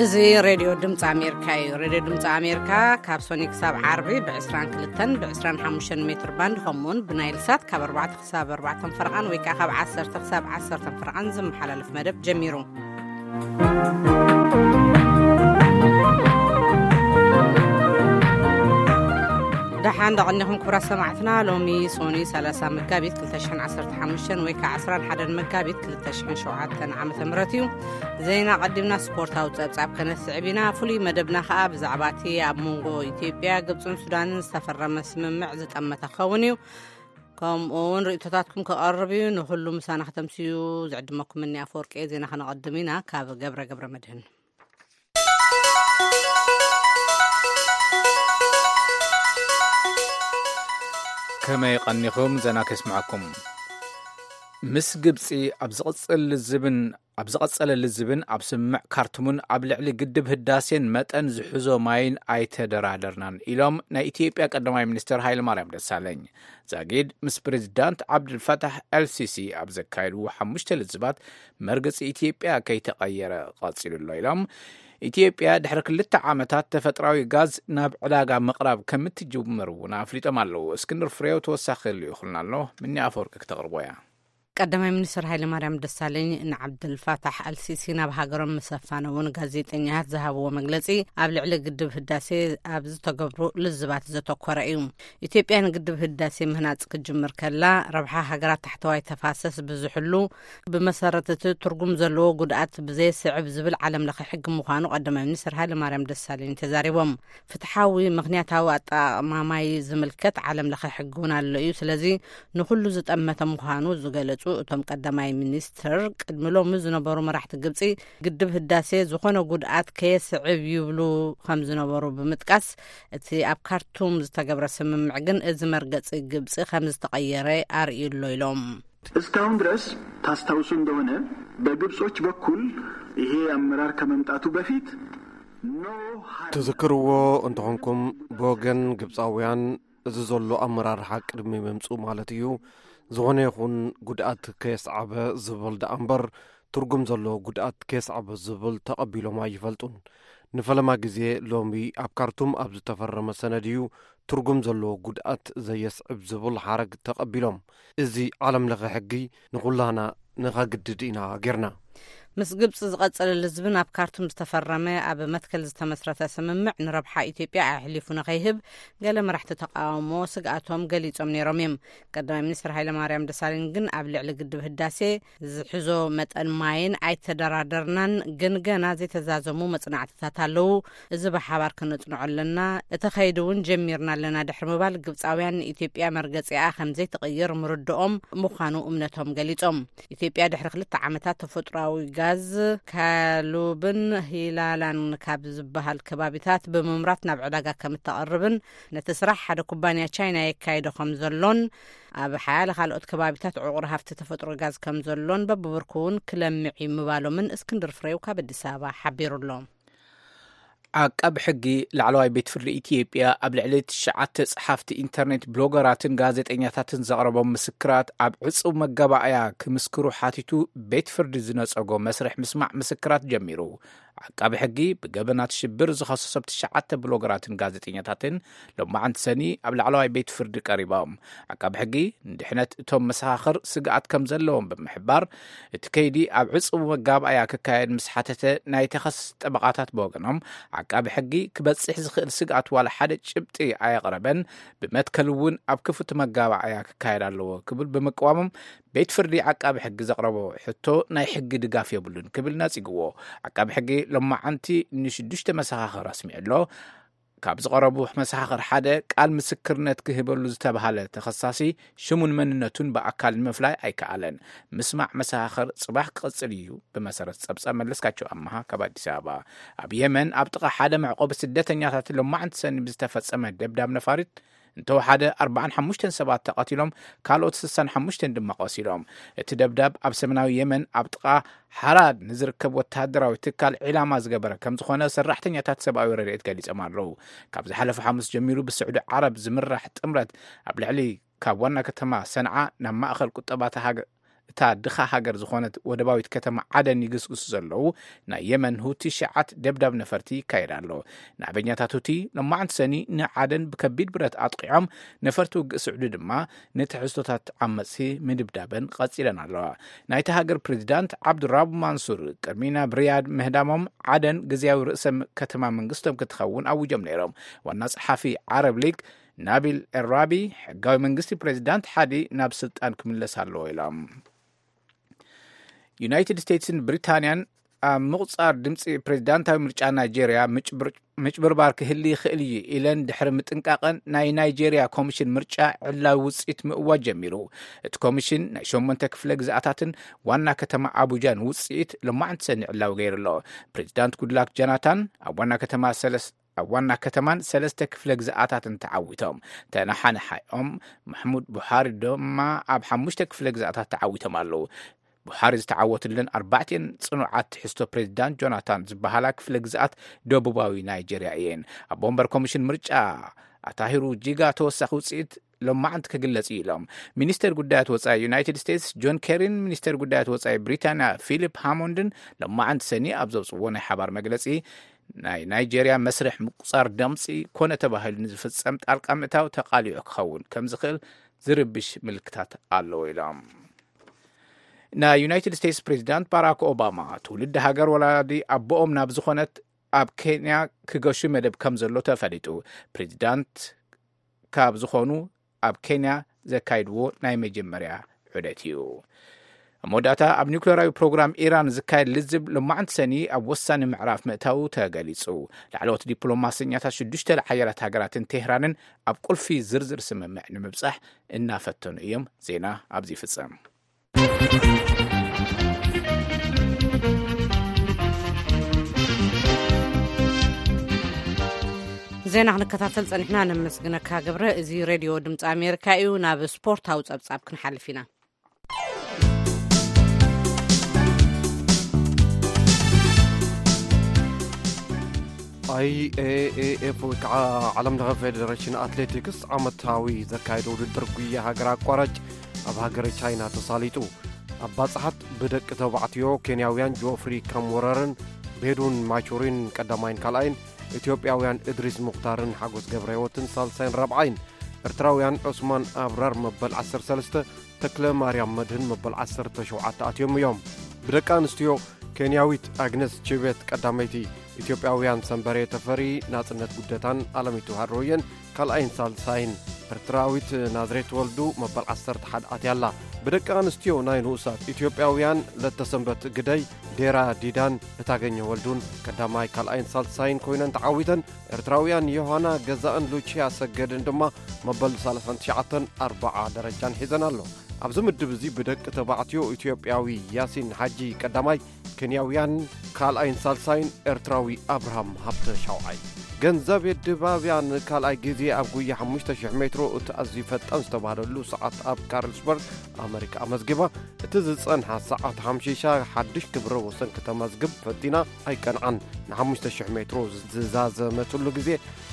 እዚ ሬድዮ ድምፂ ኣሜሪካ እዩ። ሬድዮ ድምፂ ኣሜሪካ ካብ ሶኒ ክሳብ ዓርቢ ብ22ን ብ25 ሜትር ባንድ፣ ከምኡውን ብናይል ሳት ካብ ኣርባዕተ ክሳብ ኣርባዕተ ፈረቓን ወይ ከዓ ካብ ዓሰርተ ክሳብ ዓሰርተ ፈረቓን ዝመሓላለፍ መደብ ጀሚሩ። ደሓን ደቐኒኹም ክቡራት ሰማዕትና። ሎሚ ሶኒ 30 መጋቢት 2015 ወይ ከዓ 11 መጋቢት 2007 ዓመተ ምህረት እዩ። ዜና ቀዲምና ስፖርታዊ ጸብጻብ ከነስዕብ ኢና። ፍሉይ መደብና ከዓ ብዛዕባ እቲ ኣብ መንጎ ኢትዮጵያ፣ ግብፅን ሱዳንን ዝተፈረመ ስምምዕ ዝጠመተ ክኸውን እዩ። ከምኡ እውን ርእይቶታትኩም ክቐርብ እዩ። ንኹሉ ምሳና ከተምስዩ ዝዕድመኩም እኒ ኣፈወርቂ። ዜና ከነቐድም ኢና። ካብ ገብረ ገብረ መድህን። ከመይ ቀኒኹም? ዜና ከስምዓኩም። ምስ ግብፂ ኣብ ዝቕፅል ልዝብን ኣብ ዝቐጸለ ልዝብን ኣብ ስምምዕ ካርቱምን ኣብ ልዕሊ ግድብ ህዳሴን መጠን ዝሕዞ ማይን ኣይተደራደርናን ኢሎም ናይ ኢትዮጵያ ቀዳማይ ሚኒስትር ሃይለማርያም ደሳለኝ። ዛጊድ ምስ ፕሬዚዳንት ዓብድልፈታሕ ኤልሲሲ ኣብ ዘካየድዎ ሓሙሽተ ልዝባት መርገጺ ኢትዮጵያ ከይተቐየረ ቀጺሉ ኣሎ ኢሎም። ኢትዮጵያ ድሕሪ ክልተ ዓመታት ተፈጥራዊ ጋዝ ናብ ዕዳጋ ምቕራብ ከም እትጅምር እውን ኣፍሊጦም ኣለዉ። እስክንድር ፍሬው ተወሳኺ ልኢኹልና ኣሎ። ምኒ ኣፈወርቂ ክተቕርቦ እያ። ቀዳማይ ሚኒስትር ሃይለማርያም ደሳለኝ ንዓብደልፋታሕ ኣልሲሲ ናብ ሃገሮም ምስ ኣፋነውን ጋዜጠኛታት ዝሃብዎ መግለጺ ኣብ ልዕሊ ግድብ ህዳሴ ኣብ ዝተገብሩ ልዝባት ዘተኮረ እዩ። ኢትዮጵያ ንግድብ ህዳሴ ምህናጽ ክትጅምር ከላ ረብሓ ሃገራት ታሕተዋይ ተፋሰስ ብዙሕሉ ብመሰረት እቲ ትርጉም ዘለዎ ጉድኣት ብዘየስዕብ ዝብል ዓለም ለኸ ሕጊ ምዃኑ ቀዳማይ ሚኒስትር ሃይለማርያም ደሳለኝ ተዛሪቦም። ፍትሓዊ ምኽንያታዊ ኣጠቓቕማ ማይ ዝምልከት ዓለም ለኸ ሕጊ እውን ኣሎ እዩ። ስለዚ ንኹሉ ዝጠመተ ምዃኑ ዝገለጹ እቶም ቀዳማይ ሚኒስትር፣ ቅድሚ ሎሚ ዝነበሩ መራሕቲ ግብጺ ግድብ ህዳሴ ዝኾነ ጉድኣት ከየስዕብ ይብሉ ከም ዝነበሩ ብምጥቃስ፣ እቲ ኣብ ካርቱም ዝተገብረ ስምምዕ ግን እዚ መርገጺ ግብጺ ከም ዝተቐየረ ኣርእዩ ኣሎ ኢሎም። እስካሁን ድረስ ታስታውሱ እንደሆነ በግብጾች በኩል ይሄ አመራር ከመምጣቱ በፊት no hard ትዝክርዎ እንተኾንኩም፣ ብወገን ግብጻውያን እዚ ዘሎ ኣመራርሓ ቅድሚ ምምጽኡ ማለት እዩ፣ ዝኾነ ይኹን ጉድኣት ከየስዓበ ዝብል ደኣ እምበር፣ ትርጉም ዘለዎ ጉድኣት ከየስዓበ ዝብል ተቐቢሎም ኣይፈልጡን። ንፈለማ ግዜ ሎሚ ኣብ ካርቱም ኣብ ዝተፈረመ ሰነድ እዩ ትርጉም ዘለዎ ጉድኣት ዘየስዕብ ዝብል ሓረግ ተቐቢሎም። እዚ ዓለም ለኸ ሕጊ ንኹላህና ንኸግድድ ኢና ጌርና። ምስ ግብጺ ዝቐጸለ ልዝብን ኣብ ካርቱም ዝተፈረመ ኣብ መትከል ዝተመስረተ ስምምዕ ንረብሓ ኢትዮጵያ ኣሕሊፉ ንኸይህብ ገለ መራሕቲ ተቃውሞ ስግኣቶም ገሊጾም ነይሮም እዮም። ቀዳማይ ሚኒስትር ሃይለማርያም ደሳለኝ ግን ኣብ ልዕሊ ግድብ ህዳሴ ዝሕዞ መጠን ማይን ኣይተደራደርናን፣ ግን ገና ዘይተዛዘሙ መጽናዕትታት ኣለዉ። እዚ ብሓባር ከነጽንዖ ኣለና። እቲ ከይዲ እውን ጀሚርና ኣለና ድሕሪ ምባል፣ ግብጻውያን ንኢትዮጵያ መርገጺኣ ከም ዘይትቕይር ምርድኦም ምዃኑ እምነቶም ገሊጾም። ኢትዮጵያ ድሕሪ ክልተ ዓመታት ተፈጥሮኣዊ ጋዝ ካሉብን ሂላላን ካብ ዝበሃል ከባቢታት ብምምራት ናብ ዕዳጋ ከም እተቐርብን፣ ነቲ ስራሕ ሓደ ኩባንያ ቻይና የካይዶ ከም ዘሎን፣ ኣብ ሓያለ ካልኦት ከባቢታት ዕቑር ሃፍቲ ተፈጥሮ ጋዝ ከም ዘሎን በብብርኩ እውን ክለምዕ እዩ ምባሎምን እስክንድር ፍሬው ካብ ኣዲስ ኣበባ ሓቢሩ ኣሎ። ዓቃቢ ሕጊ ላዕለዋይ ቤት ፍርዲ ኢትዮጵያ ኣብ ልዕሊ ትሽዓተ ጸሓፍቲ ኢንተርኔት ብሎገራትን ጋዜጠኛታትን ዘቕረቦም ምስክራት ኣብ ዕጹው መጋባእያ ክምስክሩ ሓቲቱ ቤት ፍርዲ ዝነጸጎ መስርሕ ምስማዕ ምስክራት ጀሚሩ። ዓቃቢ ሕጊ ብገበናት ሽብር ዝኸሰሶም ትሽዓተ ብሎገራትን ጋዜጠኛታትን ሎማዓንቲ ሰኒ ኣብ ላዕለዋይ ቤት ፍርዲ ቀሪቦም። ዓቃቢ ሕጊ ንድሕነት እቶም መሰኻኽር ስግኣት ከም ዘለዎም ብምሕባር፣ እቲ ከይዲ ኣብ ዕጹው መጋባእያ ክካየድ ምስ ሓተተ፣ ናይ ተኸስስ ጠበቓታት ብወገኖም፣ ዓቃቢ ሕጊ ክበጽሕ ዝኽእል ስግኣት ዋላ ሓደ ጭብጢ ኣየቕረበን፣ ብመትከል እውን ኣብ ክፉት መጋባእያ ክካየድ ኣለዎ ክብል ብምቅዋሞም፣ ቤት ፍርዲ ዓቃቢ ሕጊ ዘቕረቦ ሕቶ ናይ ሕጊ ድጋፍ የብሉን ክብል ነጺግዎ። ዓቃቢ ሕጊ ሎማዓንቲ ንሽዱሽተ መሰኻኽር ኣስሚዑ ኣሎ። ካብ ዝቐረቡ መሰኻኽር ሓደ፣ ቃል ምስክርነት ክህበሉ ዝተባህለ ተኸሳሲ ሽሙን መንነቱን ብኣካል ንምፍላይ ኣይከኣለን። ምስማዕ መሰኻኽር ጽባሕ ክቕጽል እዩ። ብመሰረት ጸብጻብ መለስካቸው ኣመሃ ካብ ኣዲስ ኣበባ። ኣብ የመን ኣብ ጥቓ ሓደ መዕቆቢ ስደተኛታት ሎማዕንቲ ሰኒ ብዝተፈጸመ ደብዳብ ነፋሪት እንተወሓደ ኣርባዓን ሓሙሽተን ሰባት ተቐቲሎም፣ ካልኦት ስሳን ሓሙሽተን ድማ ቆሲሎም። እቲ ደብዳብ ኣብ ሰሜናዊ የመን ኣብ ጥቓ ሓራድ ንዝርከብ ወተሃደራዊ ትካል ዒላማ ዝገበረ ከም ዝኾነ ሰራሕተኛታት ሰብኣዊ ረድኤት ገሊጾም ኣለዉ። ካብ ዝሓለፈ ሓሙስ ጀሚሩ ብስዑዲ ዓረብ ዝምራሕ ጥምረት ኣብ ልዕሊ ካብ ዋና ከተማ ሰንዓ ናብ ማእኸል ቁጠባ እታ ሃገ-፣ እታ ድኻ ሃገር ዝኾነት ወደባዊት ከተማ ዓደን ይግስግሱ ዘለዉ ናይ የመን ሁቲ ሽዓት ደብዳብ ነፈርቲ ይካየድ ኣሎ። ናዕበኛታት ሁቲ ሎማዕንቲ ሰኒ ንዓደን ብከቢድ ብረት ኣጥቂዖም፣ ነፈርቲ ውግእ ስዑዲ ድማ ንትሕዝቶታት ዓመጽቲ ምድብዳበን ቀጺለን ኣለዋ። ናይቲ ሃገር ፕሬዚዳንት ዓብዱራቡ ማንሱር ቅድሚ ናብ ሪያድ ምህዳሞም ዓደን ግዝያዊ ርእሰ ከተማ መንግስቶም ክትኸውን ኣውጆም ነይሮም። ዋና ጸሓፊ ዓረብ ሊግ ናቢል ኤራቢ፣ ሕጋዊ መንግስቲ ፕሬዚዳንት ሓዲ ናብ ስልጣን ክምለስ ኣለዎ ኢሎም። ዩናይትድ ስቴትስን ብሪታንያን ኣብ ምቑጻር ድምፂ ፕሬዚዳንታዊ ምርጫ ናይጄርያ ምጭብር-፣ ምጭብርባር ክህሊ ይኽእል እዩ ኢለን ድሕሪ ምጥንቃቐን፣ ናይ ናይጄርያ ኮሚሽን ምርጫ ዕላዊ ውፅኢት ምእዋጅ ጀሚሩ። እቲ ኮሚሽን ናይ ሸሞንተ ክፍለ ግዝኣታትን ዋና ከተማ ኣቡጃን ውፅኢት ሎማዕንቲ ሰኒ ዕላዊ ገይሩ ኣሎ። ፕሬዚዳንት ጉድላክ ጃናታን ኣብ ዋና ከተማ ሰለስ-፣ ኣብ ዋና ከተማን ሰለስተ ክፍለ ግዝኣታትን ተዓዊቶም። ተነሓነሓኦም ማሕሙድ ቡሃሪ ድማ ኣብ ሓሙሽተ ክፍለ ግዝኣታት ተዓዊቶም ኣለዉ። ቡሃሪ ዝተዓወትለን ኣርባዕቲኤን ጽኑዓት ትሕዝቶ ፕሬዚዳንት ጆናታን ዝበሃላ ክፍለ ግዝኣት ደቡባዊ ናይጄርያ እየን። ኣብ ወንበር ኮሚሽን ምርጫ ኣታሂሩ ጂጋ ተወሳኺ ውፅኢት ሎማዓንቲ ክግለጽ እዩ ኢሎም። ሚኒስተር ጉዳያት ወጻኢ ዩናይትድ ስቴትስ ጆን ኬሪን ሚኒስተር ጉዳያት ወጻኢ ብሪታንያ ፊሊፕ ሃሞንድን ሎማዓንቲ ሰኒ ኣብ ዘውፅዎ ናይ ሓባር መግለጺ፣ ናይ ናይጄርያ መስርሕ ምቁጻር ደምፂ ኮነ ተባሂሉ ንዝፍጸም ጣልቃ ምእታው ተቓሊዑ ክኸውን ከም ዝኽእል ዝርብሽ ምልክታት ኣለዎ ኢሎም። ናይ ዩናይትድ ስቴትስ ፕሬዚዳንት ባራክ ኦባማ ትውልዲ ሃገር ወላዲ ኣቦኦም ናብ ዝኾነት ኣብ ኬንያ ክገሹ መደብ ከም ዘሎ ተፈሊጡ። ፕሬዚዳንት ካብ ዝኾኑ ኣብ ኬንያ ዘካይድዎ ናይ መጀመርያ ዑደት እዩ። ኣብ መወዳእታ፣ ኣብ ኒውክሌራዊ ፕሮግራም ኢራን ዝካየድ ልዝብ ሎማዕንቲ ሰኒ ኣብ ወሳኒ ምዕራፍ ምእታዉ ተገሊጹ። ላዕለዎት ዲፕሎማሰኛታት ሽዱሽተ ሓያላት ሃገራትን ቴህራንን ኣብ ቁልፊ ዝርዝር ስምምዕ ንምብጻሕ እናፈተኑ እዮም። ዜና ኣብዚ ይፍጸም። ዜና ክንከታተል ጸኒሕና፣ ነመስግነካ ገብረ። እዚ ሬድዮ ድምፂ ኣሜሪካ እዩ። ናብ ስፖርታዊ ጸብጻብ ክንሓልፍ ኢና። ኣይ ኤ ኤ ኤፍ ወይ ከዓ ዓለም ለኸ ፌዴሬሽን ኣትሌቲክስ ዓመታዊ ዘካየደ ውድድር ጉያ ሃገር ኣቋራጭ ኣብ ሃገረ ቻይና ተሳሊጡ። ኣብ ባጽሓት ብደቂ ተባዕትዮ ኬንያውያን ጆፍሪ ካምወረርን ቤዱን ማቹሪን ቀዳማይን ካልኣይን፣ ኢትዮጵያውያን እድሪስ ሙኽታርን ሓጎስ ገብረ ህይወትን ሳልሳይን ራብዓይን፣ ኤርትራውያን ዑስማን ኣብራር መበል ዓሰርተ ሰለስተ፣ ተክለ ማርያም መድህን መበል ዓሰርተ ሸውዓተ ኣትዮም እዮም። ብደቂ ኣንስትዮ ኬንያዊት ኣግነስ ቺቤት ቀዳመይቲ፣ ኢትዮጵያውያን ሰንበሬ ተፈሪ፣ ናጽነት ጉደታን ኣለሚቱ ሃሮየን ካልኣይን ሳልሳይን፣ ኤርትራዊት ናዝሬት ወልዱ መበል ዓሰርተ ሓደ ኣትያ ኣላ። ብደቂ ኣንስትዮ ናይ ንኡሳት ኢትዮጵያውያን ለተሰንበት ግደይ፣ ዴራ ዲዳን እታገኘ ወልዱን ቀዳማይ ካልኣይን ሳልሳይን ኮይነን ተዓዊተን። ኤርትራውያን ዮሃና ገዛእን ሉቺያ ሰገድን ድማ መበል ሰላሳን ትሽዓተን ኣርብዓ ደረጃን ሒዘን ኣሎ። ኣብዚ ምድብ እዚ ብደቂ ተባዕትዮ ኢትዮጵያዊ ያሲን ሓጂ ቀዳማይ፣ ኬንያውያን ካልኣይን ሳልሳይን፣ ኤርትራዊ ኣብርሃም ሃብተ ሻውዓይ። ገንዘብ የድባብያ ንካልኣይ ግዜ ኣብ ጉያ ሓሙሽተ ሽሕ ሜትሮ እቲ ኣዝዩ ፈጣን ዝተባህለሉ ሰዓት ኣብ ካርልስበርግ ኣመሪካ ኣመዝጊባ። እቲ ዝጸንሓ ሰዓት ሓምሺሻ ሓድሽ ክብረ ወሰን ከተመዝግብ ፈቲና ኣይቀንዓን። ንሓሙሽተ ሽሕ ሜትሮ ዝዛዘመትሉ ግዜ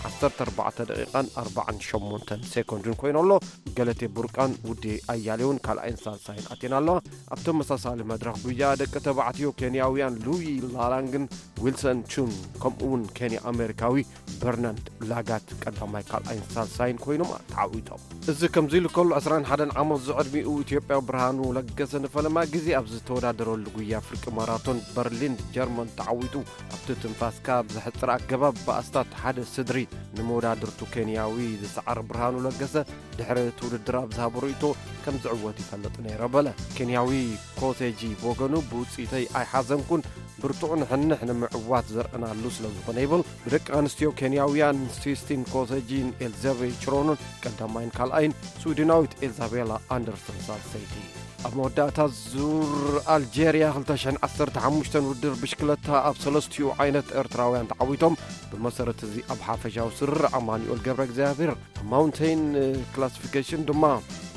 ዓሰርተ ኣርባዕተ ደቂቓን ኣርባዓን ሸሞንተን ሴኮንድን ኮይኑ ኣሎ። ገለቴ ቡርቃን ውዴ ኣያሌውን ካልኣይን ሳልሳይን ኣትየን ኣለዋ። ኣብ ተመሳሳሊ መድረኽ ጉያ ደቂ ተባዕትዮ ኬንያውያን ሉዊ ላላንግን ዊልሰን ቹን ከምኡ እውን ኬንያ ኣሜሪካዊ በርናንድ ላጋት ቀዳማይ ካልኣይን ሳልሳይን ኮይኖም ተዓዊቶም። እዚ ከምዚ ኢሉ ከሎ ዕስራን ሓደን ዓመት ዝዕድሚኡ ኢትዮጵያ ብርሃኑ ለገሰ ንፈለማ ግዜ ኣብ ዝተወዳደረሉ ጉያ ፍርቂ ማራቶን በርሊን ጀርመን ተዓዊቱ። ኣብቲ ትንፋስካ ብዘሕጽር ኣገባብ ብኣስታት ሓደ ስድሪ ንመወዳድርቱ ኬንያዊ ዝሰዓረ ብርሃኑ ለገሰ ድሕሪ እቲ ውድድር ኣብ ዝሃቦ ርእይቶ ከም ዝዕወት ይፈልጥ ነይረ በለ። ኬንያዊ ኮሴጂ ብወገኑ ብውጽኢተይ ኣይሓዘንኩን፣ ብርቱዕ ንሕንሕ ንምዕዋት ዘርእናሉ ስለ ዝኾነ ይብል። ብደቂ ኣንስትዮ ኬንያውያን ሲስቲን ኮሴጂን ኤልዛቤ ችሮኖን ቀዳማይን ካልኣይን፣ ስዊድናዊት ኤልዛቤላ ኣንደርሰን ሳልሰይቲ። ኣብ መወዳእታ ዙር ኣልጀርያ ክልተ ሽሕን ዓሰርተ ሓሙሽተን ውድድር ብሽክለታ ኣብ ሰለስቲኡ ዓይነት ኤርትራውያን ተዓዊቶም። ብመሰረት እዚ ኣብ ሓፈሻዊ ስርር ኣማኑኤል ገብረ እግዚኣብሔር፣ ኣብ ማውንቴን ክላሲፊኬሽን ድማ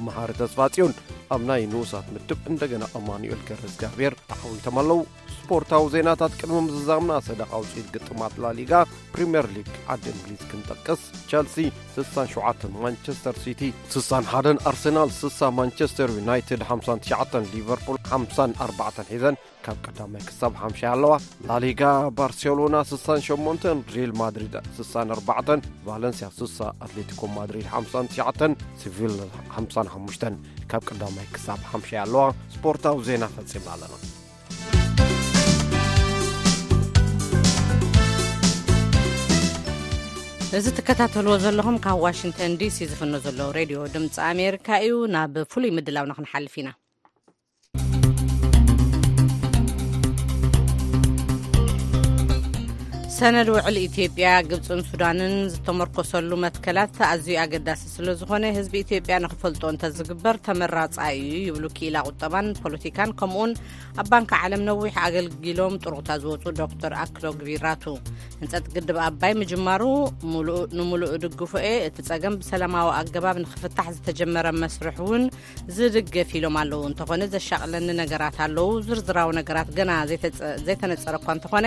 መሃሪ ተስፋጽዮን ኣብ ናይ ንኡሳት ምድብ እንደገና ኣማኑኤል ገብረ እግዚኣብሔር ተዓዊቶም ኣለዉ። ስፖርታዊ ዜናታት ቅድሚ ምዝዛምና ሰደቓ ውፅኢት ግጥማት ላሊጋ ፕሪምየር ሊግ ዓዲ እንግሊዝ ክንጠቅስ፣ ቸልሲ ስሳን ሸውዓተን፣ ማንቸስተር ሲቲ ስሳን ሓደን፣ ኣርሰናል ስሳ፣ ማንቸስተር ዩናይትድ ሓምሳን ትሽዓተን፣ ሊቨርፑል ሓምሳን ኣርባዕተን ሒዘን ካብ ቀዳማይ ክሳብ ሓምሻይ ኣለዋ። ላሊጋ ባርሴሎና ስሳን ሸሞንተን፣ ሪል ማድሪድ ስሳን ኣርባዕተን፣ ቫለንሲያ ስሳ፣ ኣትሌቲኮ ማድሪድ ሓምሳን ትሽዓተን፣ ሲቪል ሓምሳን ሓሙሽተን ካብ ቀዳማይ ክሳብ ሓምሻይ ኣለዋ። ስፖርታዊ ዜና ፈጺምና ኣለና። እዚ ትከታተልዎ ዘለኹም ካብ ዋሽንግተን ዲሲ ዝፍኖ ዘሎ ሬድዮ ድምፂ ኣሜሪካ እዩ። ናብ ፍሉይ ምድላውና ክንሓልፍ ኢና። ሰነድ ውዕል ኢትዮጵያ፣ ግብፅን ሱዳንን ዝተመርኮሰሉ መትከላት ኣዝዩ ኣገዳሲ ስለ ዝኾነ፣ ህዝቢ ኢትዮጵያ ንክፈልጦ እንተዝግበር ተመራፃይ እዩ ይብሉ ክኢላ ቁጠባን ፖለቲካን፣ ከምኡውን ኣብ ባንኪ ዓለም ነዊሕ ኣገልጊሎም ጥሩቕታ ዝወፁ ዶክተር ኣክሎግ ቢራቱ። ህንፀት ግድብ ኣባይ ምጅማሩ ሙሉእ ንሙሉእ እድግፎ እየ። እቲ ፀገም ብሰላማዊ ኣገባብ ንክፍታሕ ዝተጀመረ መስርሕ እውን ዝድገፍ ኢሎም ኣለዉ። እንተኾነ ዘሻቕለኒ ነገራት ኣለዉ። ዝርዝራዊ ነገራት ገና ዘይተጸ-፣ ዘይተነጸረ እኳ እንተኾነ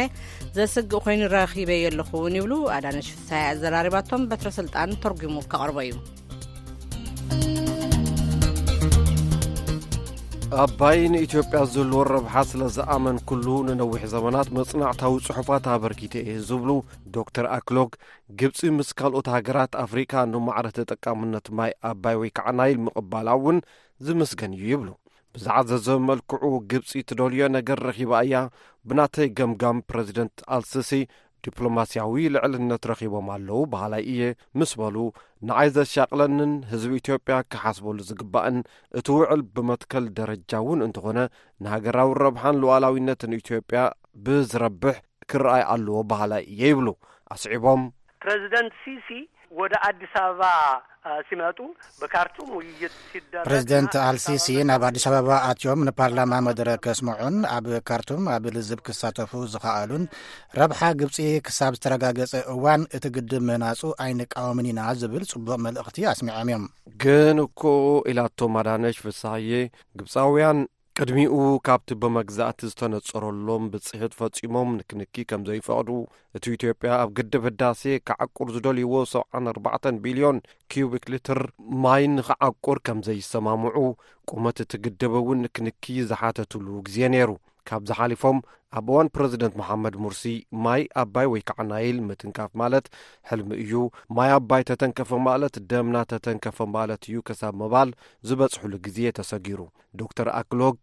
ዘስግእ ኮይኑ ረኺበዮ ኣለኹ እውን ይብሉ። ኣዳነሽ ፍስሃየ ኣዘራሪባቶም፣ በትረ ስልጣን ተርጒሙ ከቕርቦ እዩ። ኣባይ ንኢትዮጵያ ዝህልዎ ረብሓ ስለ ዝኣመንኩሉ ንነዊሕ ዘመናት መጽናዕታዊ ጽሑፋት ኣበርኪተ እየ ዝብሉ ዶክተር ኣክሎግ፣ ግብጺ ምስ ካልኦት ሃገራት ኣፍሪቃ ንማዕረ ተጠቃምነት ማይ ኣባይ ወይ ከዓ ናይል ምቕባላ እውን ዝምስገን እዩ ይብሉ። ብዝዓዘዘ መልክዑ ግብጺ ትደልዮ ነገር ረኺባ እያ። ብናተይ ገምጋም ፕረዚደንት ኣልሲሲ ዲፕሎማስያዊ ልዕልነት ረኺቦም ኣለዉ በሃላይ እየ ምስ በሉ፣ ንዓይ ዘሻቕለንን ህዝቢ ኢትዮጵያ ክሓስበሉ ዝግባእን እቲ ውዕል ብመትከል ደረጃ እውን እንተኾነ ንሃገራዊ ረብሓን ሉዓላዊነትን ኢትዮጵያ ብዝረብሕ ክረኣይ ኣለዎ በሃላይ እየ ይብሉ። ኣስዒቦም፣ ፕረዚደንት ሲሲ ወደ ኣዲስ ኣበባ፣ አ፣ ሲመጡ በካርቱም ውይይት ሲደረግ ፕረዚደንት ኣልሲሲ ናብ ኣዲስ ኣበባ ኣትዮም ንፓርላማ መደረ ከስምዑን ኣብ ካርቱም ኣብ ልዝብ ክሳተፉ ዝኸኣሉን፣ ረብሓ ግብጺ ክሳብ ዝተረጋገጸ እዋን እቲ ግድብ ምህናጹ ኣይንቃወምን ኢና ዝብል ጽቡቕ መልእኽቲ ኣስሚዖም እዮም። ግን እኮ ኢላቶም ኣዳነሽ ፍስሃየ፣ ግብጻውያን ቅድሚኡ ካብቲ ብመግዛእቲ ዝተነጸረሎም ብጽሒት ፈጺሞም ንክንኪ ከም ዘይፈቕዱ፣ እቲ ኢትዮጵያ ኣብ ግድብ ህዳሴ ክዓቁር ዝደልይዎ ሰብዓን ኣርባዕተን ቢልዮን ኪዩቢክ ሊትር ማይ ንክዓቁር ከም ዘይሰማምዑ፣ ቁመት እቲ ግድብ እውን ንክንኪ ዝሓተትሉ ግዜ ነይሩ። ካብዚ ሓሊፎም ኣብ እዋን ፕረዚደንት መሓመድ ሙርሲ ማይ ኣባይ ወይ ከዓ ናይል ምትንካፍ ማለት ሕልሚ እዩ፣ ማይ ኣባይ ተተንከፈ ማለት ደምና ተተንከፈ ማለት እዩ ክሳብ ምባል ዝበጽሕሉ ግዜ ተሰጊሩ። ዶክተር ኣክሎግ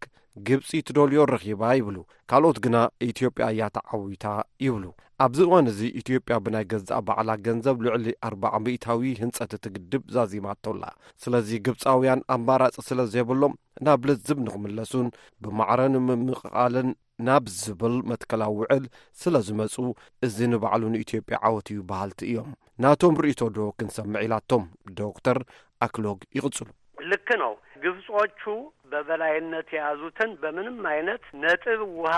ግብጺ ትደልዮ ረኺባ ይብሉ። ካልኦት ግና ኢትዮጵያ እያ ተዓዊታ ይብሉ። ኣብዚ እዋን እዚ ኢትዮጵያ ብናይ ገዛእ ባዕላ ገንዘብ ልዕሊ ኣርባዓ ሚእታዊ ህንጸት እቲ ግድብ ዛዚማቶ ኣላ። ስለዚ ግብጻውያን ኣማራጺ ስለ ዘይብሎም ናብ ልዝብ ንኽምለሱን ብማዕረ ንምምቕቓልን ናብ ዝብል መትከላዊ ውዕል ስለ ዝመጹ፣ እዚ ንባዕሉ ንኢትዮጵያ ዓወት እዩ በሃልቲ እዮም። ናቶም ርእይቶ ዶ ክንሰምዕ ኢላቶም ዶክተር ኣክሎግ ይቕጽሉ። ልክ ነው። ግብጾቹ በበላይነት የያዙትን በምንም አይነት ነጥብ ውሃ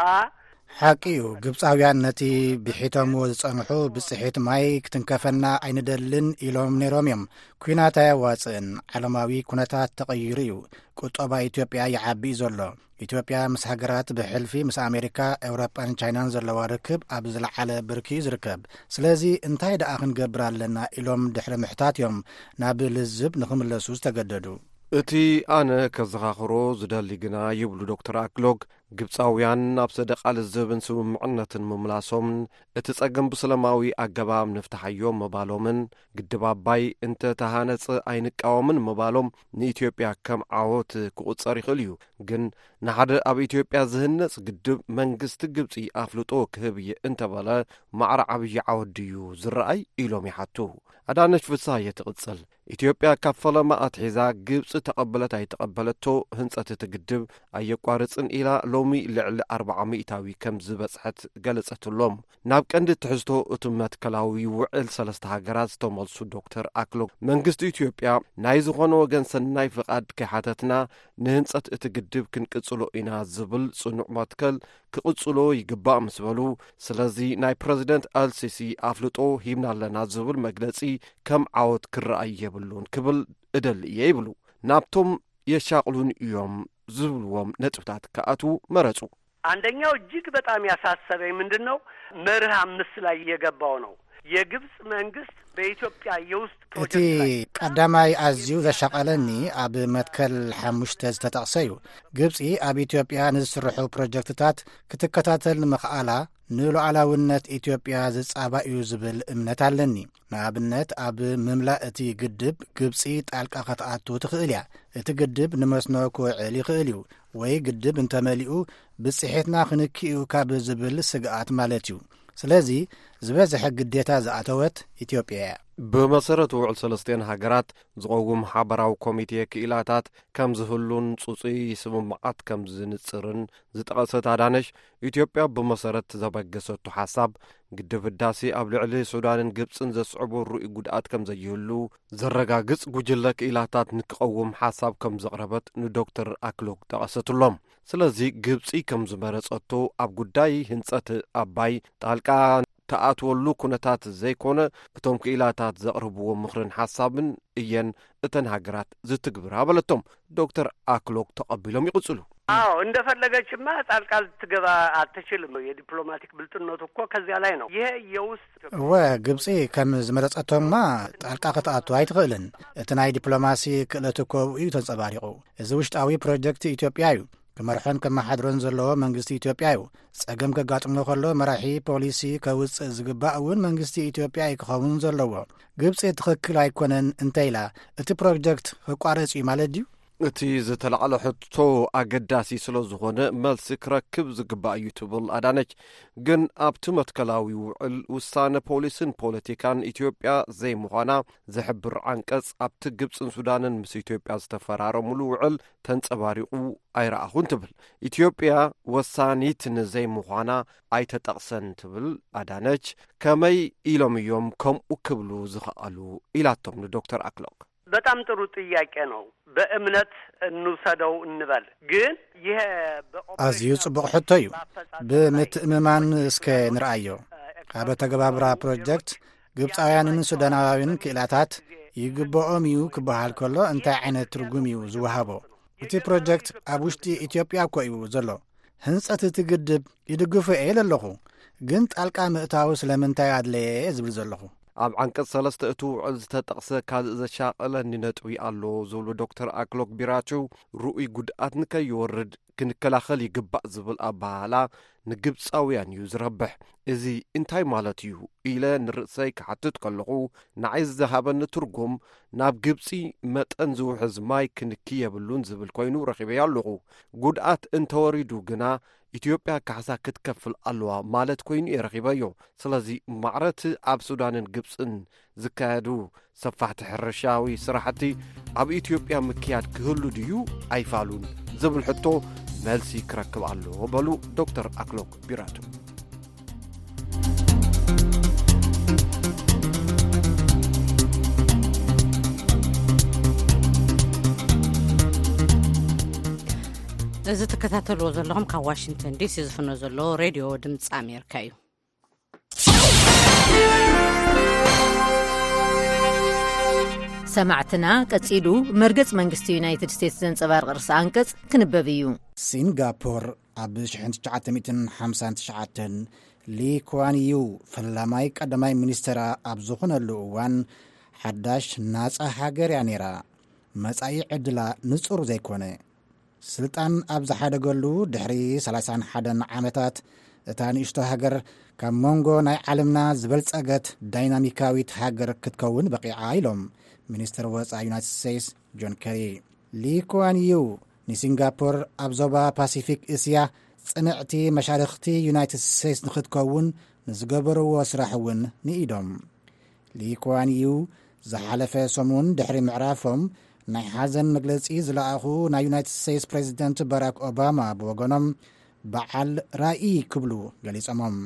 ሓቂ እዩ። ግብጻውያን ነቲ ብሒቶምዎ ዝጸንሑ ብጽሒት ማይ ክትንከፈና ኣይንደልን ኢሎም ነይሮም እዮም። ኲናት ኣየዋጽእን። ዓለማዊ ኩነታት ተቐይሩ እዩ። ቁጠባ ኢትዮጵያ ይዓቢ እዩ ዘሎ። ኢትዮጵያ ምስ ሃገራት ብሕልፊ ምስ ኣሜሪካ፣ ኤውሮጳን ቻይናን ዘለዋ ርክብ ኣብ ዝለዓለ ብርኪ እዩ ዝርከብ። ስለዚ እንታይ ደኣ ክንገብር ኣለና ኢሎም ድሕሪ ምሕታት እዮም ናብ ልዝብ ንኽምለሱ ዝተገደዱ። እቲ ኣነ ከዘኻኽሮ ዝደሊ ግና ይብሉ ዶክተር ኣክሎግ፣ ግብጻውያን ናብ ሰደቓ ልዝብን ስምምዕነትን ምምላሶምን እቲ ጸገም ብሰላማዊ ኣገባብ ንፍትሓዮ ምባሎምን ግድብ ኣባይ እንተ ተሃነጸ ኣይንቃወምን ምባሎም ንኢትዮጵያ ከም ዓወት ክቑጸር ይኽእል እዩ። ግን ንሓደ ኣብ ኢትዮጵያ ዝህነጽ ግድብ መንግስቲ ግብጺ ኣፍልጦ ክህብ እየ እንተበለ ማዕረ ዓብዪ ዓወት ድዩ ዝረኣይ ኢሎም ይሓቱ። ኣዳነች ፍስሃየ ትቕጽል። ኢትዮጵያ ካብ ፈለማ ኣትሒዛ ግብጺ ተቐበለት ኣይተቐበለቶ ህንጸት እቲ ግድብ ኣየቋርጽን ኢላ ሎሚ ልዕሊ ኣርብዓ ሚእታዊ ከም ዝበጽሐት ገለጸትሎም። ናብ ቀንዲ ትሕዝቶ እቲ መትከላዊ ውዕል ሰለስተ ሃገራት ዝተመልሱ ዶክተር ኣክሎግ፣ መንግስቲ ኢትዮጵያ ናይ ዝኾነ ወገን ሰናይ ፍቓድ ከይሓተትና ንህንጸት እቲ ግድብ ክንቅጽሎ ኢና ዝብል ጽኑዕ መትከል ክቕጽሎ ይግባእ ምስ በሉ፣ ስለዚ ናይ ፕረዚደንት ኣልሲሲ ኣፍልጦ ሂብና ኣለና ዝብል መግለጺ ከም ዓወት ክረኣይ የብሉን ክብል እደሊ እየ ይብሉ። ናብቶም የሻቕሉን እዮም ዝብልዎም ነጥብታት ክኣትዉ መረጹ። አንደኛው እጅግ በጣም ያሳሰበኝ ምንድን ነው? መርህ አምስት ላይ የገባው ነው። የግብጽ መንግስት በኢትዮጵያ የውስጥ እቲ ፕሮጀክት ላይ ቀዳማይ ኣዝዩ ዘሻቐለኒ ኣብ መትከል ሓሙሽተ ዝተጠቕሰ እዩ። ግብጺ ኣብ ኢትዮጵያ ንዝስርሑ ፕሮጀክትታት ክትከታተል ንምኽኣላ ንሉዓላውነት ኢትዮጵያ ዝጻባእ እዩ ዝብል እምነት ኣለኒ። ንኣብነት ኣብ ምምላእ እቲ ግድብ ግብጺ ጣልቃ ክትኣቱ ትኽእል እያ። እቲ ግድብ ንመስኖ ክውዕል ይኽእል እዩ፣ ወይ ግድብ እንተመሊኡ ብጽሒትና ክንኪ እዩ ካብ ዝብል ስግኣት ማለት እዩ። ስለዚ ዝበዝሐ ግዴታ ዝኣተወት ኢትዮጵያ እያ። ብመሰረት ውዕል ሰለስቲኤን ሃገራት ዝቐውም ሓበራዊ ኮሚቴ ክኢላታት ከም ዝህሉን ጽጹይ ስምምዓት ከም ዝንጽርን ዝጠቐሰት ኣዳነሽ፣ ኢትዮጵያ ብመሰረት ዘበገሰቱ ሓሳብ ግድብ ህዳሴ ኣብ ልዕሊ ሱዳንን ግብጽን ዘስዕቦ ርኡይ ጉድኣት ከም ዘይህሉ ዘረጋግጽ ጉጅለ ክኢላታት ንክቐውም ሓሳብ ከም ዘቕረበት ንዶክተር ኣክሎግ ጠቐሰትሎም። ስለዚ ግብጺ ከም ዝመረጸቶ ኣብ ጉዳይ ህንጸት ኣባይ ጣልቃ ተኣትወሉ ኩነታት ዘይኮነ፣ እቶም ክኢላታት ዘቕርብዎ ምኽርን ሓሳብን እየን እተን ሃገራት ዝትግብራ በለቶም። ዶክተር ኣክሎግ ተቐቢሎም ይቕጽሉ። አዎ፣ እንደፈለገችማ ጣልቃ ልትገባ አትችልም። የዲፕሎማቲክ ብልጥነቱ እኮ ከዚያ ላይ ነው። ይሄ የውስጥ እወ፣ ግብጺ ከም ዝመረጸቶማ ጣልቃ ክትኣቱ ኣይትኽእልን። እቲ ናይ ዲፕሎማሲ ክእለት እኮ እዩ ተንጸባሪቑ። እዚ ውሽጣዊ ፕሮጀክት ኢትዮጵያ እዩ። ክመርሖን ከመሓድሮን ዘለዎ መንግስቲ ኢትዮጵያ እዩ። ጸገም ከጋጥሞ ከሎ መራሒ ፖሊሲ ከውጽእ ዝግባእ እውን መንግስቲ ኢትዮጵያ እዩ ክኸውን ዘለዎ። ግብጺ ትኽክል ኣይኮነን እንተ ኢላ፣ እቲ ፕሮጀክት ክቋረጽ እዩ ማለት ድዩ? እቲ ዝተላዕለ ሕቶ ኣገዳሲ ስለ ዝኾነ መልሲ ክረክብ ዝግባእ እዩ ትብል ኣዳነች። ግን ኣብቲ መትከላዊ ውዕል ውሳነ ፖሊስን ፖለቲካን ኢትዮጵያ ዘይምዃና ዝሕብር ዓንቀጽ ኣብቲ ግብጽን ሱዳንን ምስ ኢትዮጵያ ዝተፈራረሙሉ ውዕል ተንጸባሪቑ ኣይረኣኹን ትብል። ኢትዮጵያ ወሳኒት ንዘይምዃና ኣይተጠቕሰን ትብል ኣዳነች። ከመይ ኢሎም እዮም ከምኡ ክብሉ ዝኸኣሉ ኢላቶም ንዶክተር ኣክሎግ። በጣም ጥሩ ጥያቄ ነው። በእምነት እንውሰደው እንበል። ግን ይሄ በኦፕሬሽናል ኣዝዩ ጽቡቕ ሕቶ እዩ። በአፈጻጸም ላይ ብምትእምማን እስከ ንርኣዮ። ኣብ ኣተገባብራ ፕሮጀክት ግብጻውያንን ሱዳናውያንን ክኢላታት ይግብኦም እዩ ክበሃል ከሎ እንታይ ዓይነት ትርጉም እዩ ዝወሃቦ? እቲ ፕሮጀክት ኣብ ውሽጢ ኢትዮጵያ እኮ እዩ ዘሎ። ህንጸት እቲ ግድብ ይድግፎ እየ ኢለ ኣለኹ። ግን ጣልቃ ምእታው ስለምንታይ ኣድለየ ዝብል ዘለኹ። ኣብ ዓንቀጽ ሰለስተ እቲ ውዕል ዝተጠቕሰ ካልእ ዘሻቐለኒ ነጥቢ ኣሎ ዝብሉ ዶክተር ኣክሎግ ቢራቱ፣ ርኡይ ጉድኣት ንከይወርድ ክንከላኸል ይግባእ ዝብል ኣበሃህላ ንግብጻውያን እዩ ዝረብሕ። እዚ እንታይ ማለት እዩ ኢለ ንርእሰይ ክሓትት ከለኹ፣ ንዓይ ዝሃበኒ ትርጉም ናብ ግብጺ መጠን ዝውሕዝ ማይ ክንኪ የብሉን ዝብል ኮይኑ ረኺበዮ ኣለኹ። ጉድኣት እንተወሪዱ ግና ኢትዮጵያ ካሕሳ ክትከፍል ኣለዋ ማለት ኮይኑ እየ ረኺበዮ። ስለዚ ማዕረቲ ኣብ ሱዳንን ግብጽን ዝካየዱ ሰፋሕቲ ሕርሻዊ ስራሕቲ ኣብ ኢትዮጵያ ምክያድ ክህሉ ድዩ ኣይፋሉን ዝብል ሕቶ መልሲ ክረክብ ኣለዎ በሉ ዶክተር ኣክሎግ ቢራቱ። እዚ ትከታተልዎ ዘለኹም ካብ ዋሽንግተን ዲሲ ዝፍኖ ዘሎ ሬድዮ ድምፂ ኣሜሪካ እዩ። ሰማዕትና፣ ቀጺሉ መርገጽ መንግስቲ ዩናይትድ ስቴትስ ዘንጸባርቕ ርእሰ ኣንቀጽ ክንበብ እዩ። ሲንጋፖር ኣብ ሽሕን ትሽዓተ ሚእትን ሓምሳን ትሽዓተን ሊ ኩዋን ዩ ፈላማይ ቀዳማይ ሚኒስተራ ኣብ ዝኾነሉ እዋን ሓዳሽ ናጻ ሃገር እያ ነይራ። መጻኢ ዕድላ ንጹር ዘይኮነ። ስልጣን ኣብ ዝሓደገሉ ድሕሪ ሰላሳን ሓደን ዓመታት፣ እታ ንእሽቶ ሃገር ካብ መንጎ ናይ ዓለምና ዝበልጸገት ዳይናሚካዊት ሃገር ክትከውን በቒዓ ኢሎም ሚኒስትር ወጻኢ ዩናይትድ ስቴትስ ጆን ኬሪ። ሊ ኩዋን ዩ ንሲንጋፖር ኣብ ዞባ ፓሲፊክ እስያ ጽንዕቲ መሻርኽቲ ዩናይትድ ስቴትስ ንኽትከውን ንዝገበርዎ ስራሕ እውን ንኢዶም። ሊ ኩዋን ዩ ዝሓለፈ ሰሙን ድሕሪ ምዕራፎም ናይ ሓዘን መግለጺ ዝለኣኹ ናይ ዩናይትድ ስቴትስ ፕሬዚደንት ባራክ ኦባማ ብወገኖም፣ በዓል ራኢ ክብሉ ገሊጾሞም።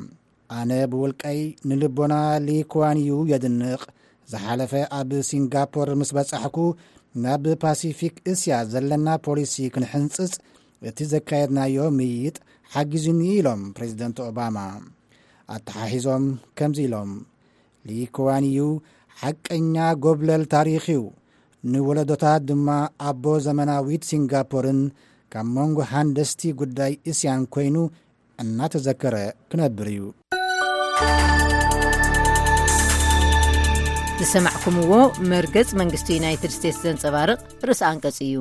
ኣነ ብውልቀይ ንልቦና ሊ ኩዋን ዩ የድንቕ። ዝሓለፈ ኣብ ሲንጋፖር ምስ በጻሕኩ፣ ናብ ፓሲፊክ እስያ ዘለና ፖሊሲ ክንሕንጽጽ እቲ ዘካየድናዮ ምይይጥ ሓጊዙኒ ኢሎም ፕሬዚደንት ኦባማ። ኣተሓሒዞም ከምዚ ኢሎም፣ ሊ ኩዋን ዩ ሓቀኛ ጎብለል ታሪኽ እዩ። ንወለዶታት ድማ ኣቦ ዘመናዊት ሲንጋፖርን ካብ መንጎ ሃንደስቲ ጉዳይ እስያን ኮይኑ እናተዘከረ ክነብር እዩ። ዝሰማዕኩምዎ መርገጽ መንግስቲ ዩናይትድ ስቴትስ ዘንጸባርቕ ርእሰ ኣንቀጽ እዩ።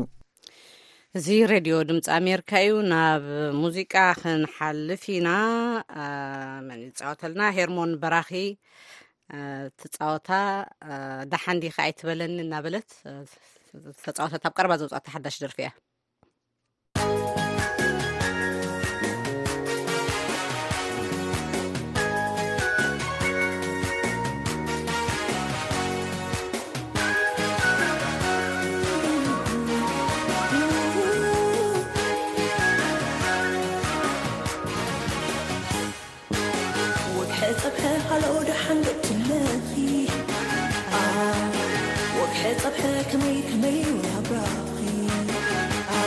እዚ ሬድዮ ድምፂ ኣሜሪካ እዩ። ናብ ሙዚቃ ክንሓልፍ ኢና። አ፣ መን ይፃወተልና? ሄርሞን በራኺ፣ አ፣ ትፃወታ፣ አ፣ ደሓን ዲኻ ኣይትበለኒ እናበለት፣ አ፣ ተፃወተት ኣብ ቀረባ ዘውፃእታ ሓዳሽ ደርፊ እያ። ወግሐ ጸብሐ ሃሎ ደሓን ገትለኺ። አ፣ ወግሐ ጸብሐ ከመይ ከመይ ናብራኺ። አ፣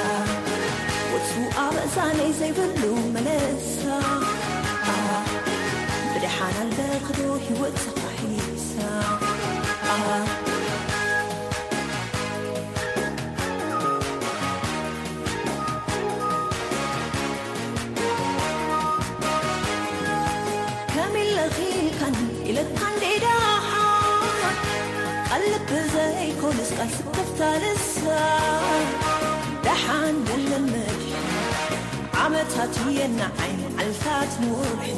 ወትሩ ኣብ እዛነይ ዘይብሉ መለሳ። አ፣ ብደሓን ኣለኽዶ ህይወት ተኻሒሳ። አ፣ ከመይ ኢለኺ ኢልካኒ ኢለካ እንዴ ደሓን፣ ቃል ልቢ ዘይኮነስ ቃል ስክፍታ ልሳን። ደሓን የለን መድሕን፣ ዓመታት የናዓይ መዓልታት ንወርሒ።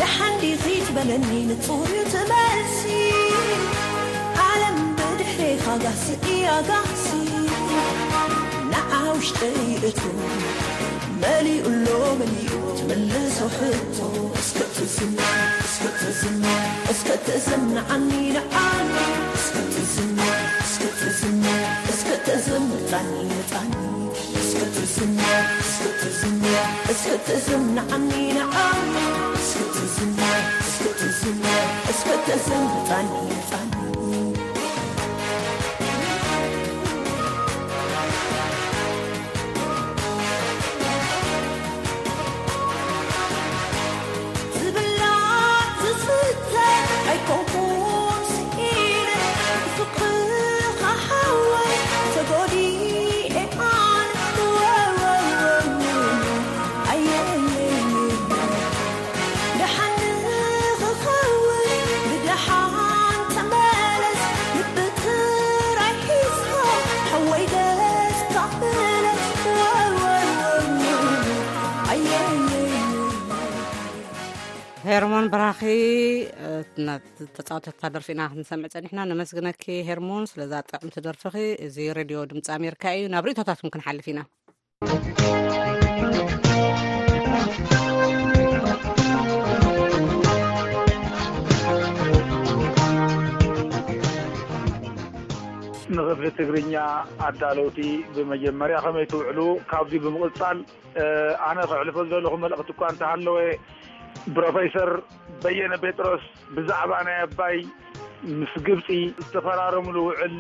ደሓን ዲኺ ትበለኒ ንጹር እዩ እቲ መልሲ። ዓለም ብድሕሬኻ ጋህሲ እያ ጋህሲ። ንዓ ውሽጠይ እቶ መሊኡ ኣሎ መሊኡ ትምልሶ ሕቶ። እስከ ትዝም፣ እስከ ትዝም፣ እስከ ትዝም ንዓኒ ንዓኒ። እስከ ትዝም፣ እስከ ትዝም፣ እስከ ትዝም ምጻኒ ምጻኒ። እስከ ትዝም፣ እስከ ትዝም፣ እስከ ትዝም ንዓኒ ንዓኒ። እስከ ትዝም፣ እስከ ትዝም፣ እስከ ትዝም ምጻኒ ምጻኒ። ዝብላዕ ዝስተ ኣይኮንኩን ስኢነ፣ ብፍቕርኻ ሓወይ ተጎዲኤ ኣነ። ኣየየየ። ደሓን ንኽኸውን ብደሓን ተመለስ፣ ልቢ ጥራይ ሒዝካ ሓወይ ገጽካ ምለስ። ኣየየየ። ሄርሞን በራኺ፣ እ፣ ና-፣ ተጻወተታ ደርፊ ኢና ክንሰምዕ ጸኒሕና። ነመስግነኪ ሄርሞን ስለዛ ጥዕምቲ ደርፍኺ። እዚ ሬድዮ ድምፂ ኣሜሪካ እዩ። ናብ ርእይቶታትኩም ክንሓልፍ ኢና። ንኽፍሊ ትግርኛ ኣዳለውቲ ብመጀመርያ ከመይ ትውዕሉ? ካብዚ ብምቕጻል፣ እ፣ ኣነ ከሕልፎ ዝደለኹ መልእኽቲ እኳ እንተሃለወ፣ ፕሮፌሰር በየነ ጴጥሮስ ብዛዕባ ናይ ኣባይ ምስ ግብጺ ዝተፈራረምሉ ውዕል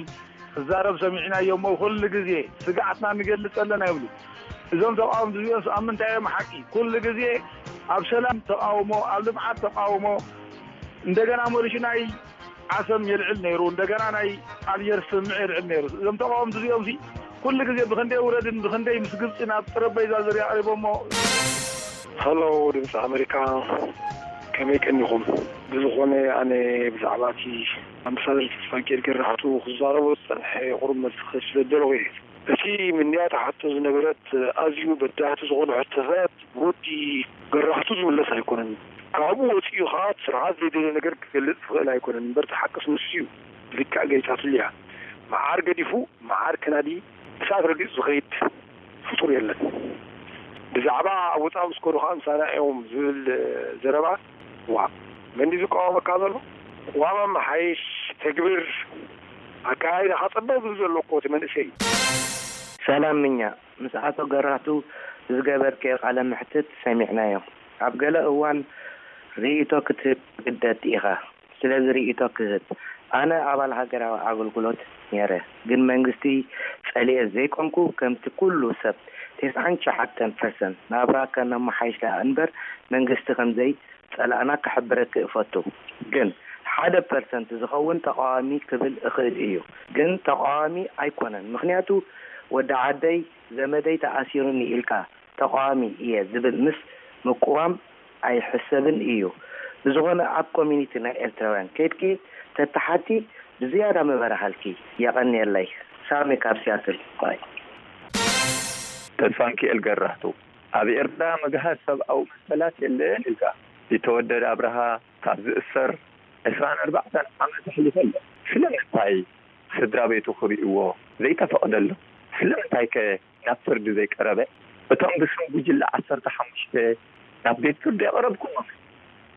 ክዛረብ ሰሚዕናዮ እሞ፣ ኩሉ ግዜ ስግኣትና ንገልጽ ኣለና ይብሉ። እዞም ተቃወምቲ እዚኦም ኣብ ምንታይ እዮም ሓቂ? ኩሉ ግዜ ኣብ ሰላም ተቃውሞ፣ ኣብ ልምዓት ተቃውሞ፣ እንደገና መሊሹ ናይ ዓሰብ የልዕል ነይሩ፣ እንደገና ናይ ኣልጀርስ ስምምዕ የልዕል ነይሩ። እዞም ተቃወምቲ እዚኦም ሲ ኩሉ ግዜ ብክንደይ ውረድን ብክንደይ ምስ ግብጺ ናብ ጠረጴዛ ዙርያ ኣቕሪቦሞ። ሃሎ ድምፂ ኣሜሪካ፣ ከመይ ቀኒኹም? ብዝኾነ ኣነ ብዛዕባ እቲ ኣምባሳደር ተስፋሚካኤል ገራህቱ ክዛረቦ ዝጸንሐ ቁሩብ መልሲ ክህብ ስለ ዝደለኹ እየ። እቲ ምንያት ሓቶ ዝነበረት ኣዝዩ በዳህቲ ዝኾኑ ሕቶታት ብወዲ ገራህቱ ዝምለስ ኣይኮነን። ካብኡ ወፂኡ ከዓ ስርዓት ዘይደልዮ ነገር ክገልፅ ዝኽእል ኣይኮነን። እምበር እቲ ሓቅስ ንሱ እዩ። ብልክዕ ገሊፃትሉ እያ። መዓር ገዲፉ መዓር ከናዲ እሳት ረጊፁ ዝኸይድ ፍጡር የለን። ብዛዕባ ኣብ ወፃኢ ምስ ከዱ ከዓ ምሳና እዮም ዝብል ዘረባ፣ ዋ፣ መን ድዩ ዝቃወመካ ዘሎ? ዋማ መሓይሽ፣ ተግብር፣ ኣካያይዳኻ ፀበብ ዝብል ዘሎ እኮ እቲ መንእሰይ። ሰላም ምኛ ምስ ኣቶ ገራህቱ ዝገበርክዮ ቃለ መሕትት ሰሚዕናዮ። ኣብ ገለ እዋን ርእይቶ ክትህብ ትግደድ ኢኻ። ስለዚ ርእይቶ ክህብ። ኣነ ኣባል ሃገራዊ ኣገልግሎት ነይረ፣ ግን መንግስቲ ጸሊኤ ዘይኮንኩ፣ ከምቲ ኩሉ ሰብ፣ ተስዓን ትሽዓተን ፐርሰንት ናብራ ከነመሓይሽ ደኣ እምበር መንግስቲ ከምዘይ ጸላእና ክሕብረኪ እፈቱ። ግን ሓደ ፐርሰንት ዝኸውን ተቃዋሚ ክብል እኽእል እዩ። ግን ተቃዋሚ ኣይኮነን። ምኽንያቱ ወዲ ዓደይ ዘመደይ ተኣሲሩኒ ኢልካ ተቃዋሚ እየ ዝብል ምስ ምቁዋም ኣይሕሰብን እዩ። ብዝኾነ ኣብ ኮሚኒቲ ናይ ኤርትራውያን ከይድኪ ተተሓቲ ብዝያዳ ምበራሃልኪ። የቐንየለይ። ሳሚ ካብ ሲያትል። ባይ። ተስፋንኪኤል ገራህቱ፣ ኣብ ኤርትራ ምግሃስ ሰብኣዊ መሰላት የለን ኢልካ። ቢተወደድ ኣብርሃ ካብ ዝእሰር ዕስራን ኣርባዕተን ዓመት ኣሕሊፈ ኣሎ። ስለምንታይ ስድራ ቤቱ ክርእይዎ ዘይተፈቕደሎም? ስለምንታይከ ናብ ፍርዲ ዘይቀረበ? እቶም ብስም ጉጅለ ዓሰርተ ሓሙሽተ ናብ ቤት ፍርዲ የቕረብኩሞም፣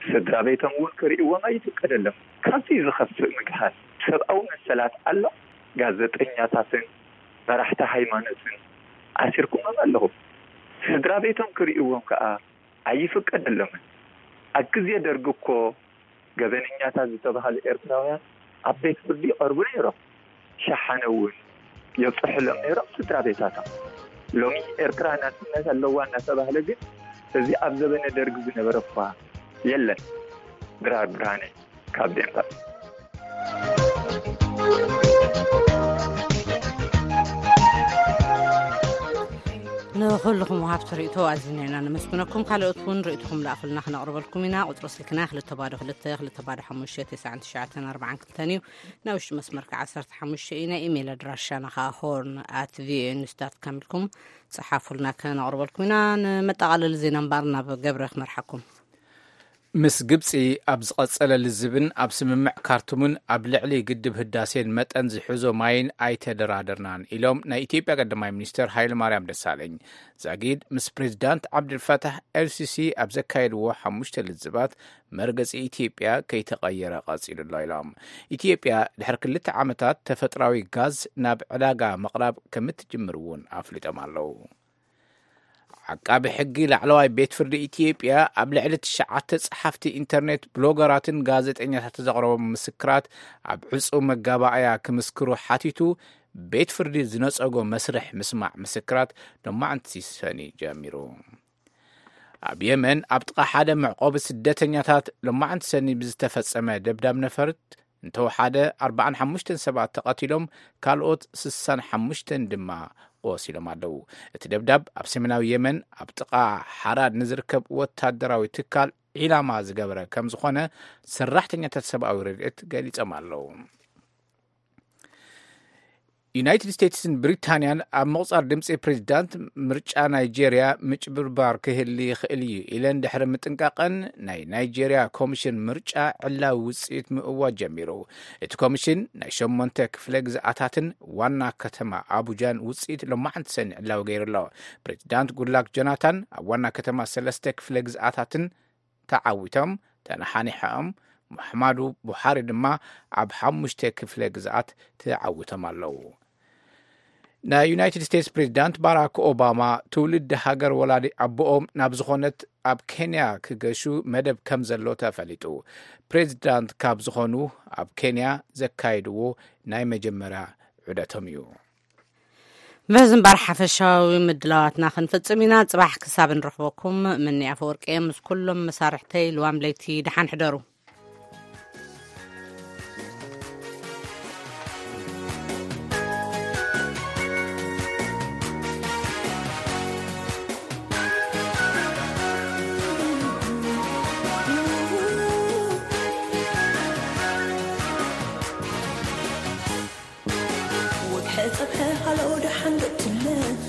ስድራ ቤቶም እውን ክርእይዎም ኣይፍቀደሎም። ካብዚ ዝኸፍእ ምግሃስ ሰብኣዊ መሰላት ኣሎ? ጋዜጠኛታትን መራሕቲ ሃይማኖትን ኣሲርኩሞም ኣለኹም። ስድራ ቤቶም ክርእይዎም ከኣ ኣይፍቀደሎምን። ኣብ ግዜ ደርጊ እኮ ገበነኛታት ዝተባህሉ ኤርትራውያን ኣብ ቤት ፍርዲ ይቐርቡ ነይሮም። ሸሓነ እውን የብጽሑሎም ነይሮም ስድራ ቤታቶም። ሎሚ ኤርትራ ናጽነት ኣለዋ እናተባህለ ግን፣ እዚ ኣብ ዘበነ ደርጊ ዝነበረ እኳ የለን። ድራር ብርሃነ ካብ ዴንቨር። ንኹልኹም ወሃብቲ ርእይቶ ኣዚና ኢና ነመስግነኩም። ካልኦት እውን ርእይቶኹም ለኣኹልና ክነቕርበልኩም ኢና። ቁጽሪ ስልክና ክልተ ባዶ ክልተ፣ ክልተ ባዶ ሓሙሽተ፣ ተስዓን ትሽዓተን ኣርባዓን ክልተን እዩ። ናይ ውሽጢ መስመር ከኣ ዓሰርተ ሓሙሽተ እዩ። ናይ ኢሜይል ኣድራሻና ከኣ ሆርን ኣት ቪኦኤ ኒውስ ዳት ካም ኢልኩም ጸሓፉልና፣ ከነቕርበልኩም ኢና። ንመጠቓለሊ ዜና እምበኣር ናብ ገብረ ክመርሓኩም። ምስ ግብጺ ኣብ ዝቐጸለ ልዝብን ኣብ ስምምዕ ካርቱምን ኣብ ልዕሊ ግድብ ህዳሴን መጠን ዝሕዞ ማይን ኣይተደራደርናን ኢሎም ናይ ኢትዮጵያ ቀዳማይ ሚኒስትር ሃይለማርያም ደሳለኝ። ዛጊድ ምስ ፕሬዚዳንት ዓብደልፋታሕ ኤልሲሲ ኣብ ዘካየድዎ ሓሙሽተ ልዝባት መርገጺ ኢትዮጵያ ከይተቐየረ ቀጺሉ ኣሎ ኢሎም። ኢትዮጵያ ድሕሪ ክልተ ዓመታት ተፈጥራዊ ጋዝ ናብ ዕዳጋ ምቕራብ ከምትጅምር እውን ኣፍሊጦም ኣለዉ። ዓቃቢ ሕጊ ላዕለዋይ ቤት ፍርዲ ኢትዮጵያ ኣብ ልዕሊ ትሽዓተ ጸሓፍቲ ኢንተርኔት፣ ብሎገራትን ጋዜጠኛታትን ዘቕረቦም ምስክራት ኣብ ዕጹው መጋባእያ ክምስክሩ ሓቲቱ፣ ቤት ፍርዲ ዝነጸጎ መስርሕ ምስማዕ ምስክራት ሎማዕንቲ ሰኒ ጀሚሩ። ኣብ የመን ኣብ ጥቓ ሓደ መዕቆቢ ስደተኛታት ሎማዕንቲ ሰኒ ብዝተፈጸመ ደብዳብ ነፈርት እንተወሓደ ኣርባዓን ሓሙሽተን ሰባት ተቐቲሎም፣ ካልኦት ስሳን ሓሙሽተን ድማ ቆሲሎም ኣለዉ። እቲ ደብዳብ ኣብ ሰሜናዊ የመን ኣብ ጥቓ ሓራድ ንዝርከብ ወታደራዊ ትካል ዒላማ ዝገበረ ከም ዝኾነ ሰራሕተኛታት ሰብኣዊ ረድኤት ገሊጾም ኣለዉ። ዩናይትድ ስቴትስን ብሪታንያን ኣብ ምቑጻር ድምጺ ፕሬዚዳንት ምርጫ ናይጄርያ ምጭብርባር ክህሊ ይኽእል እዩ ኢለን ድሕሪ ምጥንቃቐን፣ ናይ ናይጄርያ ኮሚሽን ምርጫ ዕላዊ ውጽኢት ምእዋጅ ጀሚሩ። እቲ ኮሚሽን ናይ ሸሞንተ ክፍለ ግዝኣታትን ዋና ከተማ ኣቡጃን ውጽኢት ሎማዕንቲ ሰኒ ዕላዊ ገይሩ ኣሎ። ፕሬዚዳንት ጉድላክ ጆናታን ኣብ ዋና ከተማ ሰለስተ ክፍለ ግዝኣታትን ተዓዊቶም ተነሓኒሖም። ሙሓማዱ ቡሓሪ ድማ ኣብ ሓሙሽተ ክፍለ ግዝኣት ተዓዊቶም ኣለዉ። ናይ ዩናይትድ ስቴትስ ፕሬዚዳንት ባራክ ኦባማ ትውልዲ ሃገር ወላዲ ኣቦኦም ናብ ዝኾነት ኣብ ኬንያ ክገሹ መደብ ከም ዘሎ ተፈሊጡ። ፕሬዚዳንት ካብ ዝኾኑ ኣብ ኬንያ ዘካየድዎ ናይ መጀመርያ ዑደቶም እዩ። በዚ እምበር ሓፈሻዊ ምድላዋትና ክንፍጽም ኢና። ጽባሕ ክሳብ ንረኽበኩም፣ ምኒ ኣፈወርቂ እየ ምስ ኩሎም መሳርሕተይ። ልዋም ለይቲ ደሓን ሕደሩ። ወግሐ ጸብሐ ሃሎ ደሓን ዶ ትብለኺ?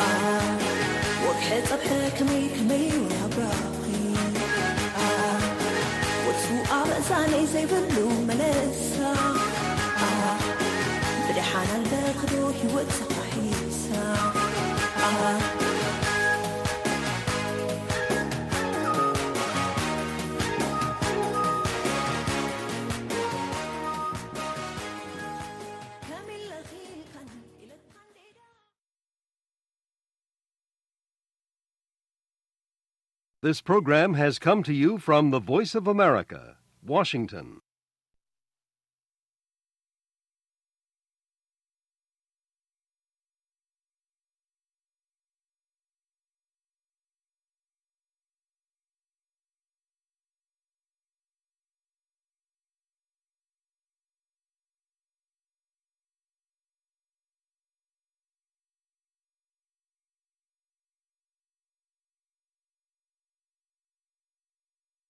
ኣ፣ ወግሐ ጸብሐ ከመይ ከመይ ወራብራኺ? ኣ፣ ወትሩ ኣብ እዛነይ ዘይብሉ መለሳ። ኣ፣ ብደሓን ኣለኺ ዶ ህይወት ተኻሒሳ? ኣ፣ This program has come to you from the Voice of America, Washington.